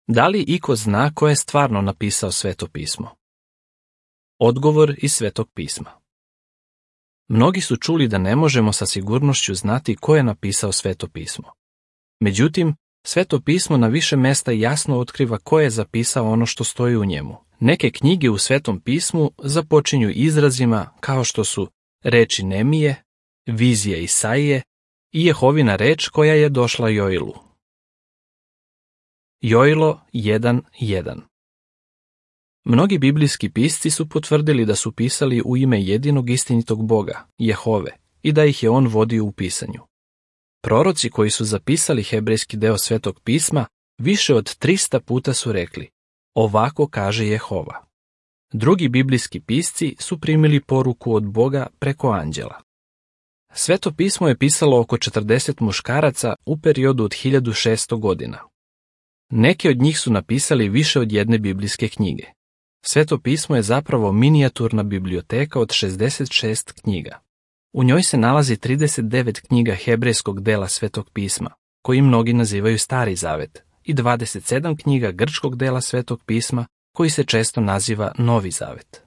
Da li iko zna ko je stvarno napisao Sveto pismo? Odgovor iz Svetog pisma. Mnogi su čuli da ne možemo sa sigurnošću znati ko je napisao Sveto pismo. Međutim, Sveto pismo na više mesta jasno otkriva ko je zapisao ono što stoji u njemu. Neke knjige u Svetom pismu započinju izrazima kao što su reči Nemije, vizija Isaije i Jehovina reč koja je došla Joilu. Joilo 1.1. Mnogi biblijski pisci su potvrdili da su pisali u ime jedinog istinitog Boga, Jehove, i da ih je on vodio u pisanju. Proroci koji su zapisali hebrejski deo Svetog pisma više od 300 puta su rekli: ovako kaže Jehova. Drugi biblijski pisci su primili poruku od Boga preko anđela. Sveto pismo je pisalo oko 40 muškaraca u periodu od 1600 godina. Neki od njih su napisali više od jedne biblijske knjige. Sveto pismo je zapravo minijaturna biblioteka od 66 knjiga. U njoj se nalazi 39 knjiga hebrejskog dela Svetog pisma, koji mnogi nazivaju Stari zavet, i 27 knjiga grčkog dela Svetog pisma, koji se često naziva Novi zavet.